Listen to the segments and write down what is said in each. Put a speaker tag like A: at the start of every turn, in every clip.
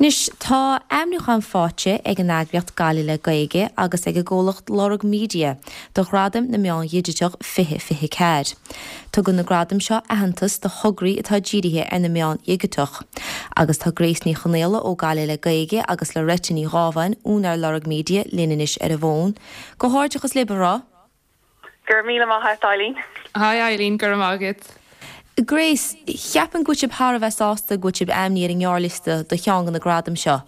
A: Anois, tá ainmniúchán faighte ag an eagraíocht Gaillimh le Gaeilge agus ag an gcomhlacht Lorg Media do Ghradaim na Meán Dhigiteach 2024. Tugann na gradaim seo aitheantas do thograí atá dírithe ar na meáin dhigiteach. Agus tá Grace Ní Chonaola ó Gaillimh le Gaeilge agus Loretta Ní Ghábháin, úinéir Lorg Media, linn anois ar an bhfón. Comhghairdeachas libh, a mhná!
B: Go raibh míle maith agat, Eileen.
C: Hi Eileen, go raibh maith agat.
A: Grace, Cheapfainn go bhfuil sibh thar a bheith sásta go bhfuil sibh ainmnithe ar an ngearrliosta do cheann de na gradaim seo.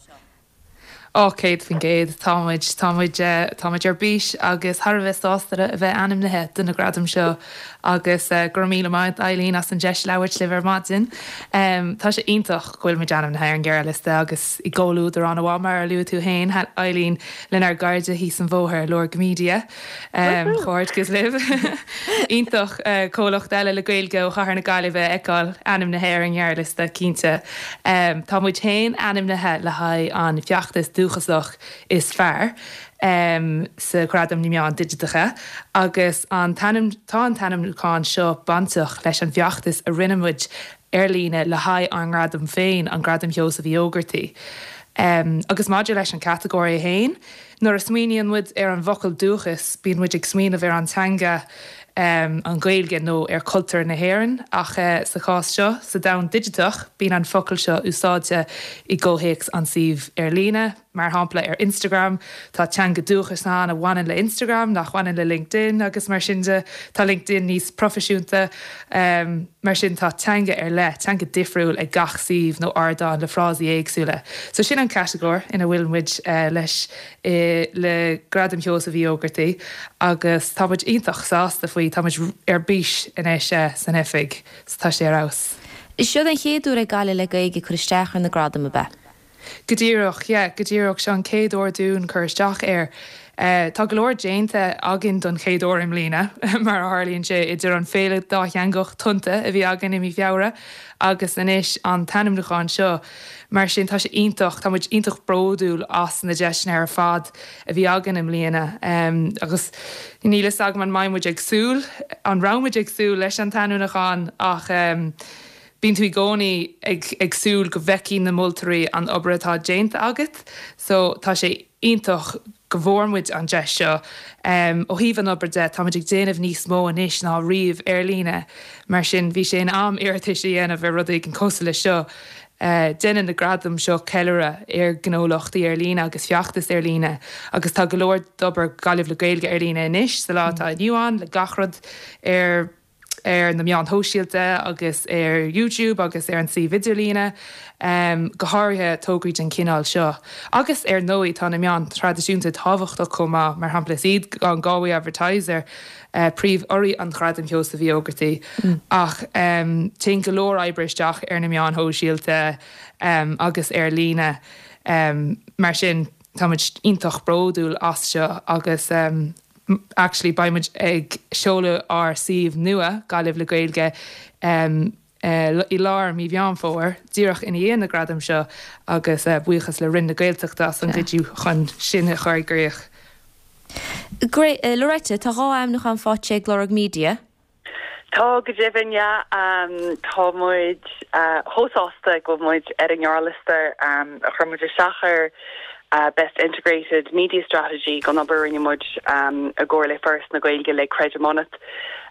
C: Ó, 100%. Tá muid, tá muid, tá muid ar bís agus thar a bheith sásta a bheith ainmnithe do na gradaim seo agus go raibh míle maith agat Eileen as an deis labhairt libh ar maidin. Tá sé iontach go bhfuil muid ainmnithe ar an ghearrliosta agus i gcomhluadar an-mhaith mar a luaigh tú féin Eileen lenár gcairde thíos an bhóthar, Lorg Media. Comhghairdeas libh. Iontach comhlacht eile le Gaeilge ó chathair na Gaillimhe a fheiceáil ainmnithe ar an ngearrliosta, cinnte. Tá muid féin ainmnithe le haghaidh an feachtas dúchasach is fearr sa Ghradam na Meán Digiteacha agus an t-ainm, tá an t-ainmniúchán seo bainteach leis an bhfeachtas a rinne muid ar líne le haghaidh ár ngradam féin, an Gradam Sheosaimh Uí Ógartaigh. Agus maidir leis an chatagóir é féin, Nuair a smaoiníonn muid ar an bhfocal dúchas, bíonn muid ag smaoineamh ar an teanga, an Ghaeilge, nó ar chultúr na hÉireann, ach sa chás seo, sa domhan digiteach, bíonn an focal seo úsáidte i gcomhthéacs an suímh ar líne. Mar shampla, ar Instagram, tá teanga dúchais ann a bhaineann le Instagram nach bhaineann le LinkedIn agus mar sin de. Tá LinkedIn níos proifisiúnta. Mar sin, tá teanga ar leith, teanga difriúil ag gach suíomh nó ardán le frásaí éagsúla. So sin an catagóir ina bhfuil muid leis le Gradam Sheosaimh Uí Ógartaigh agus tá muid iontach sásta faoi, tá muid ar bís anois san oifig so tá sé ar fheabhas.
A: Seo an chéad uair ag Gaillimh le Gaeilge cur isteach ar na gradaim, ab ea?
C: Go díreach, yeah, go díreach. Seo an chéad uair dúinn cur isteach air. Tá go leor déanta againn don chéad uair i mbliana, mar a tharlaíonn sé, idir an féile dátheangach Tonnta a bhí againn i mí Feabhra agus anois an t-ainmniúchán seo. Mar sin, tá sé iontach, tá muid iontach bródúil as na deiseanna ar fad a bhí againn i mbliana. Agus níl fhios agam an mbeidh muid ag súil, an raibh muid ag súil leis an t-ainmniúchán ach, Bíonn tú i gcónaí ag ag súil go bhfeicfidh na moltóirí an obair atá déanta agat so tá sé iontach go bhfuair muid an deis seo. Ó thaobh an obair de, tá muid ag déanamh níos mó anois ná riamh ar líne, mar sin bhí sé in am iarratais a dhéanamh ar rud éigin cosúil leis seo. Déanann na gradaim seo ceiliúradh ar ghnólachtaí ar líne agus feachtais ar líne agus tá go leor d'obair Gaillimh le Gaeilge ar líne anois sa lá atá inniu ann le gach rud ar ar na meáin shóisialta agus ar YouTube agus ar an suíomh idirlíne, go háirithe tograí den chineál seo. Agus ar ndóigh tá na meáin thraidisiúnta tábhachtach chomh maith, mar shampla is iad an Galway Advertiser príomh-urraí an Ghradaim Sheosaimh Uí Ógartaigh ach téann go leor oibre isteach ar na meáin shóisialta agus ar líne. Mar sin táimid iontach bródúil as seo agus. Actually beidh muid ag seoladh ár suíomh nua, Gaillimh le Gaeilge, i lár mí Mheán Fómhair, díreach ina dhiaidh na gradaim seo agus buíochas le Roinn na Gaeltachta as an gcuidiú chun sin a chur i gcrích.
A: Loretta, tá 2 ainmniúchán faighte ag Lorg Media.
B: Tá, go deimhin, yeah. Tá muid chomh sásta go bhfuil muid ar an ngearrliosta a chuir muid isteach ar Best Integrated Media Strategy don obair a rinne muid i gcomhar le Foras na Gaeilge le Creidim Ionat.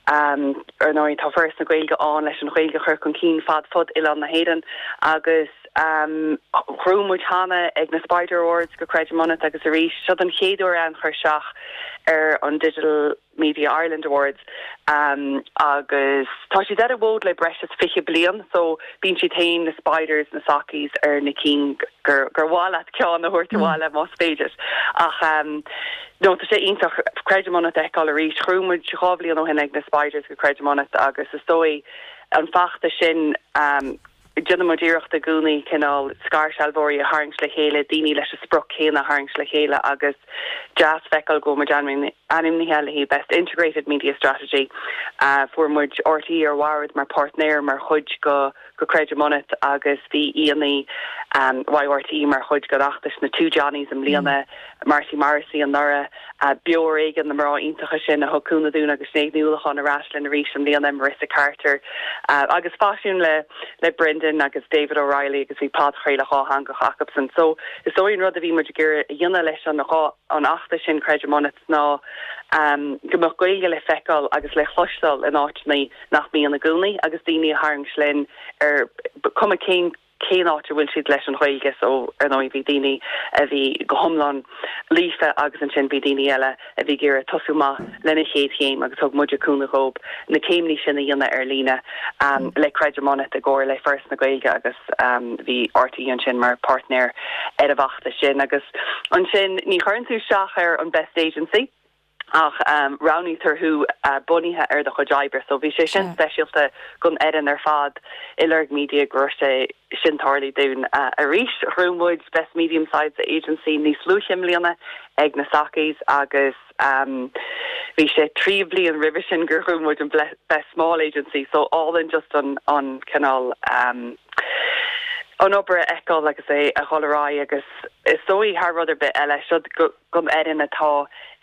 B: Ar ndóigh, tá Foras na Gaeilge ann leis an Ghaeilge a chur chun cinn fad fud oileán na hÉireann agus ghnóthaigh muid cheana ag na Spider Awards go Creidim Ionat agus arís, seo don chéad uair againn cur isteach ar an Digital Media Ireland Awards agus tá siad ar an bhfód le breis is 20 bliain so bíonn siad féin, na Spiders, na Sockies ar na cinn gur gur mhaith leat ceann a thabhairt abhaile más féidir. Ach no tá sé iontach Creidim Ionat a fheiceáil arís. Ghnóthaigh muid 2 bhliain ó shin ag na Spiders go Creidim Ionat agus is dóigh an feachtas sin Déanann muid iarracht i gcónaí cineál scairshealbhóirí a tharraingt le chéile, daoine leis an sprioc céanna a tharraingt le chéile agus deas feiceáil go bhfuil muid ainmnithe le haghaidh Best Integrated Media Strategy. Fuair muid RTÉ ar bhord mar páirtnéir mar chuid go go Creidim Ionat agus bhí aíonna RTÉ mar chuid den fheachtas na Two Johnnies i mbliana, Marty Morrissey anuraidh, Beo ar Éigean, na mná iontacha sin a thug cúnamh dúinn agus Sinéad Ní Uallacháin ar ais linn arís i mbliana, Marissa Carter agus Faisiún le le Brendan. Brendan agus David O'Reilly agus bhí podchraoladh dhátheangach acubsan. So is dóigh an rud a bhí muid ag iarraidh a dhéanamh leis an dhá an fheachtas sin Creidim Ionat ná go mbeadh Gaeilge le feiceáil agus le chloisteáil in áiteanna nach mbíonn i gcónaí agus daoine a tharraingt linn ar cuma cén cén áit a bhfuil siad leis an Ghaeilge so ar ndóigh bhí daoine a bhí go hiomlán líofa agus ansin bhí daoine eile a bhí ag iarraidh tosú amach lena chéad chéim agus thug muide cúnamh dhóib na céimní sin a dhéanamh ar líne le Creidim Ionat i gcomhar le Foras na Gaeilge agus bhí RTÉ ansin mar páirtnéir ar an bhfeachtas sin agus ansin ní chuireann tú isteach ar an Best Agency. ach roghnaítear thú bunaithe ar do chuid oibre. So bhí sé sin speisialta don fhoireann ar fad i Lorg Media go raibh sé sin tarlaithe dúinn arís. Ghnóthaigh muid Best Medium Sized Agency níos luaithe i mbliana ag na Sockies agus bhí sé 3 bliain roimhe sin gur ghnóthaigh muid an Best Small Agency so álainn just an an cineál an obair a fheiceáil agus é a dhul ar aghaidh agus is dóigh thar rud ar bith eile siod go don fhoireann atá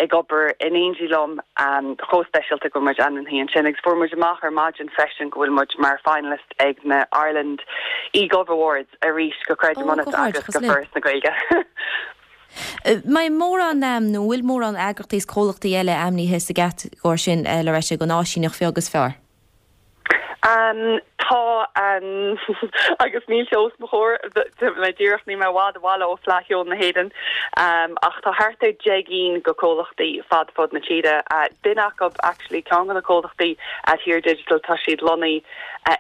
B: ag obair in éindí liom chomh speisialta go bhfuil muid ainmnithe ansin agus fuair muid amach ar maidin freisin go bhfuil muid mar finalist ag na Ireland eGov Awards arís go Creidim
A: Ó,
B: Ionat
A: go
B: agus
A: hard,
B: go
A: libh.
B: Foras na Gaeilge.
A: Mbeidh mórán, nó an bhfuil mórán eagraíochtaí is comhlachtaí eile ainmnithe sa gcatagóir sin, Loretta, don áisíneacht bheag is fearr?
B: Tá, agus níl sé os mo chomhair, mé díreach, níl mé i bhfad abhaile ó Fleadh Cheoil na hÉireann, ach tá thart ar 10 gcinn de comhlachtaí fad fud na tíre. Duine acu, actually, ceann de na comhlachtaí, Adhere Digital, tá siad lonnaithe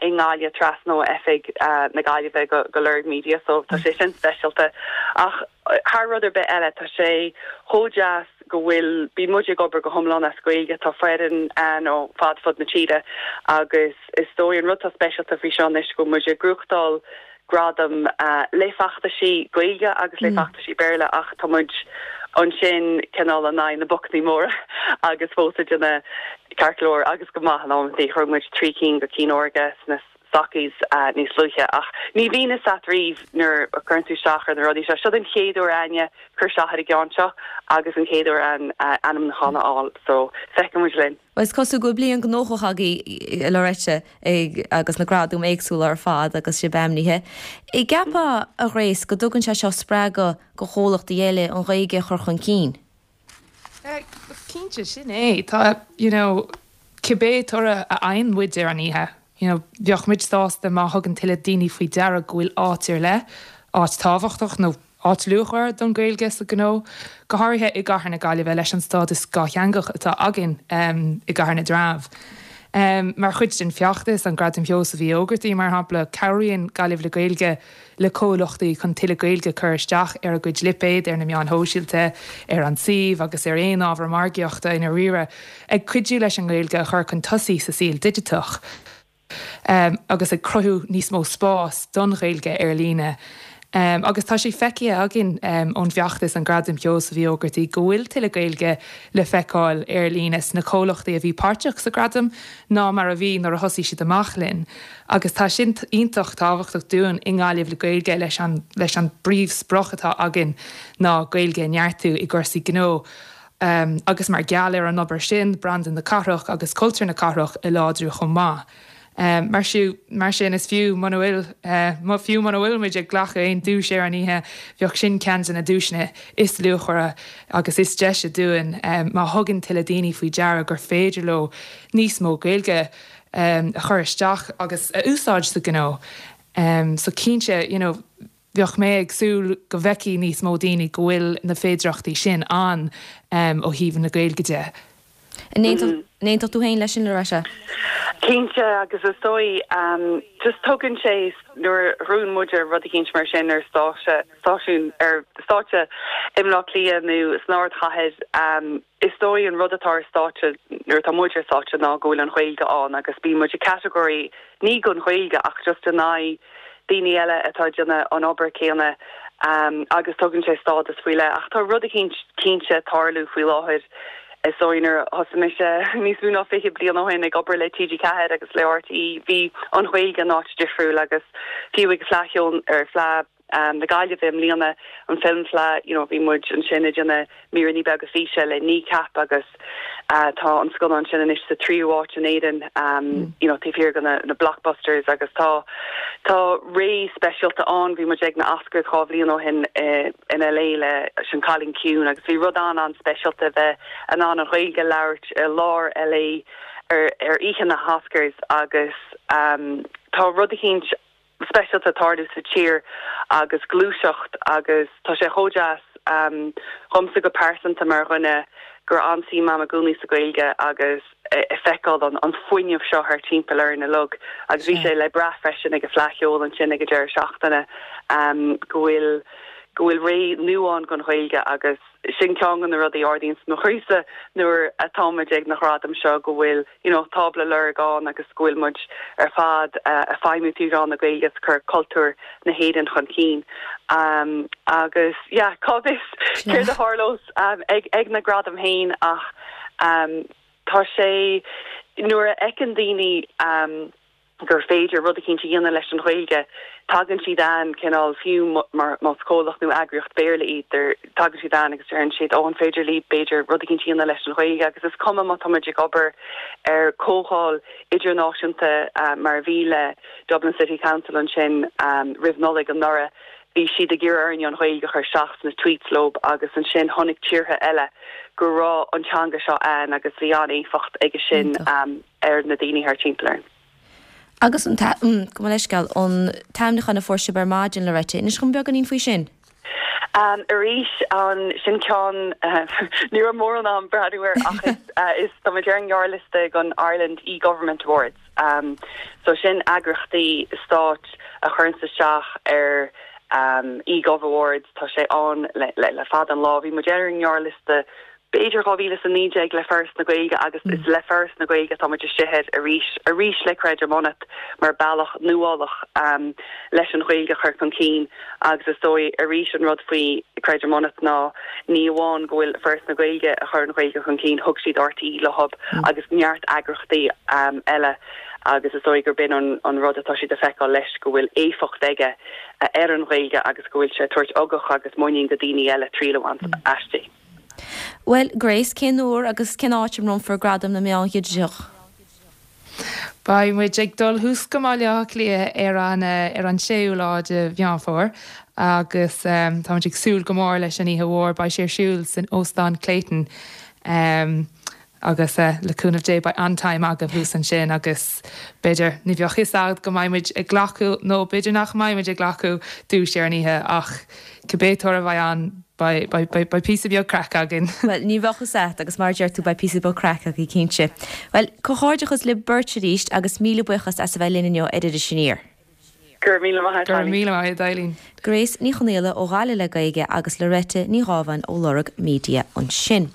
B: i nGaillimh, trasna ó oifig na Gaillimhe go Lorg Media, so tá sé sin speisialta. Ach thar rud ar bith eile, tá sé chomh deas, go bhfuil, bíonn muid ag obair go hiomlán as Gaeilge, tá foireann ann ó fad fud na tíre agus is dóigh an rud atá speisialta faoi seo anois go bhfuil muid ag gnóthachtáil gradam le feachtaisí Gaeilge agus le feachtaisí Béarla ach tá muid ansin cineál in aghaidh na bocannaí móra agus fós ag déanamh ceart go leor agus go maith in amantaí. Ghnóthaigh muid 3 cinn de cinn órga sna Sockies níos luaithe ach ní bhíonn fhios a't riamh nuair a chuireann tú isteach ar na rudaí seo. Siod an chéad uair a'inne cur isteach ar an gceann seo agus an chéad uair a'inn ainmniúchán a fháil so feicfidh muid linn.
A: Bhuel is cosúil go bhfuil bliain gnóthach agaibh a Loretta agus na gradaim éagsúla ar fad agus sibh ainmnithe. An gceapfá, a Ghrace, go dtugann sé seo spreagadh do chomhlachtaí eile an Ghaeilge a chur chun cinn?
C: Cinnte, sin é. Tá, you know, cibé toradh a fhaigheann muid ar an oíche, you know, bheadh muid sásta má thugann tuilleadh daoine faoi deara go bhfuil áit ar leith, áit tábhachtach nó áit luachmhar don Ghaeilge sa ghnó, go háirithe i gcathair na Gaillimhe leis an stádas dhátheangach atá againn i gCathair na dTreabh. Mar chuid den feachtas, an Gradam Sheosaimh Uí Ógartaigh, mar shampla, cabhraíonn Gaillimh le Gaeilge le comhlachtaí chun tuilleadh Gaeilge a chur isteach ar a gcuid lipéad ar na meáin shóisialta, ar an suíomh agus ar aon ábhar margaíochta i ndáiríre, ag cuidiú leis an nGaeilge a chur chun tosaigh sa saol digiteach agus ag cruthú níos mó spás don Ghaeilge ar líne. Agus tá sé feicthe againn ón bhfeachtas an Gradam Sheosaimh Uí Ógartaigh go bhfuil tuilleadh Gaeilge le feiceáil ar líne sna comhlachtaí a bhí páirteach sa Ghradam ná mar a bhí nuair a thosaigh siad amach linn. Agus tá sin iontach tábhachtach dúinn i nGaillimh le Gaeilge leis an leis an bpríomhsprioc atá againn ná Gaeilge a neartú i gcúrsaí gnó agus mar gheall ar an obair sin branda na cathrach agus cultúr na cathrach a láidriú chomh maith. Mar sin mar sin is fiú muna bhfuil fiú muna bhfuil muid ag glacadh aon duais ar an oíche bheadh sin ceann de na duaiseanna is luachmhaire agus is deise dúinn má thugann tuilleadh daoine faoi deara gur féidir leo níos mó Gaeilge a chur isteach agus a úsáid sa ghnó. So cinnte, you know, bheadh mé ag súil go bhfeicfidh níos mó daoine go bhfuil na féidireachtaí sin ann ó thaobh na Gaeilge de.
A: An aontódh tú féin leis sin, Loretta?
B: Cinnte, agus is dóigh, just tugann sé, nuair a ghnóthaíonn muid rud eicínt mar sin ar stáitse, stáisiún, ar stáitse i mBleá Cliath nó san ardchathair, Is dóigh an rud atá ar stáitse nuair atá muid ar stáitse ná go bhfuil an Ghaeilge ann agus bíonn muid i category ní don Ghaeilge ach just in aghaidh daoine eile atá ag déanamh an obair céanna agus tugann sé stádas faoi leith. Ach tá rud eicínt cinnte ag tarlú faoi láthair. Is dóigh nuair a thosaigh mise níos mó ná 20 bliain ó shin ag obair le TG4 agus le RTÉ bhí an Ghaeilge in áit difriúil agus fiú ag Fleadh Cheoil ar Fleadh. na Gaillimhe i mbliana, an Film Fleadh, you know, bhí muid ansin ag déanamh míreanna beaga físe le Kneecap agus tá an scannán sin anois sa tríú háit in Éirinn, you know, taobh thiar de na blockbusters agus tá tá ré speisialta ann. Bhí muid ag na Oscars 2 bhliain ó shin in LA leis An Cailín Ciúin agus bhí rud an-an-speisialta bheith in ann an Ghaeilge a labhairt i lár LA ar ar oíche na hOscars agus tá rud eicínt speisialta ag tarlú sa tír agus gluaiseacht agus tá sé chomh deas dhomsa go pearsanta mar dhuine go raibh an-suim a'm i gcónaí sa Ghaeilge agus ag feiceáil an fuinneamh seo thar timpeall orainn uilig agus bhí sé le brath freisin ag an Fleadh Cheoil ansin ag an deireadh seachtaine go bhfuil go bhfuil ré nua ann don Ghaeilge agus sin ceann de na rudaí a ardaíonns mo chroísa nuair atáimid ag na gradaim seo go bhfuil you know tábla Lorg ann agus go bhfuil muid ar fad ag feidhmiú trí mheán na Gaeilge agus cur cultúr na hÉireann chun cinn. Agus yeah cá bhfios céard a tharlós ag ag na gradaim féin ach tá sé nuair a fheiceann daoine gur féidir rud eicínt a dhéanamh leis an Ghaeilge, tagann siad ann cineál, fiú más comhlacht nó eagraíocht Béarla iad, tagann siad ann agus deireann siad, ó an féidir libh b'fhéidir rud eicínt a dhéanamh leis an Ghaeilge agus is cuma má tá muid ag obair ar comhdháil idirnáisiúnta mar a bhí le Dublin City Council ansin roimh Nollaig anuraidh, bhí siad ag iarraidh orainn an Ghaeilge a chur isteach sna tweets leo agus ansin chonaic tíortha eile go raibh an teanga seo ann agus bhí an-éifeacht aige sin. ar na daoine thar timpeall orainn.
A: Agus an, gabh mo leithscéal, an t-ainmniúchán a fuair sibh ar maidin, Loretta, inis dhom beagáinín faoi sin.
B: Arís, an, sin ceann, ní raibh mórán am breathnú air ach is, is, tá muid ar an ngearrliosta don Ireland eGovernment Awards. So sin eagraíochtaí stáit a chuireanns isteach ar eGov Awards, tá sé ann le, le, le fada an lá. Bhí muid ar an ngearrliosta b'fhéidir 2019 le Foras na Gaeilge agus is le Foras na Gaeilge atá muid istigh air arís, arís le Creidim Ionat mar bealach nuálach leis an Ghaeilge a chur chun cinn agus is dóigh arís an rud faoi Creidim Ionat ná ní amháin go bhfuil Foras na Gaeilge a chur an Ghaeilge chun cinn, thug siad RTÉ leo agus neart eagraíochtaí eile agus is dóigh gur b'in an rud atá siad a feiceáil leis go bhfuil éifeacht aige ar an Ghaeilge agus go bhfuil sé ag tabhairt ugach agus muinín go daoine eile triail a bhaint aisti.
A: Bhuel, Grace, cén uair agus cén áit a mbronnfar Gradaim na Meán Dhigiteach?
C: Beidh muid ag dul thuas go mBaile Átha Cliath ar an ar an séú lá de Mheán Fómhair agus tá muid ag súil go mór leis an oíche mhór. Beidh sé ar siúl san Óstán Clayton. Agus le cúnamh Dé beidh an-time againn thuas ansin agus b'fhéidir, ní bheadh fhios a'd go mbeidh muid ag glacadh nó b'fhéidir nach mbeidh muid ag glacadh duais ar an oíche ach cibé toradh a bheidh ann beidh, beidh, beidh, beidh píosa beag craic againn.
A: Bhuel, ní bheadh fhios a'd agus mar a deir tú beidh píosa beag craic agaibh cinnte. Bhuel, comhghairdeachas libh beirt arís agus míle buíochas as a bheith linn inniu ar Iris Aniar.
B: Go raibh míle maith
C: a'd, Go raibh míle maith a'd, Eileen.
A: Grace Ní Chonaola ó Ghaillimh le Gaeilge agus Loretta Ní Ghábháin ó Lorg Media ansin.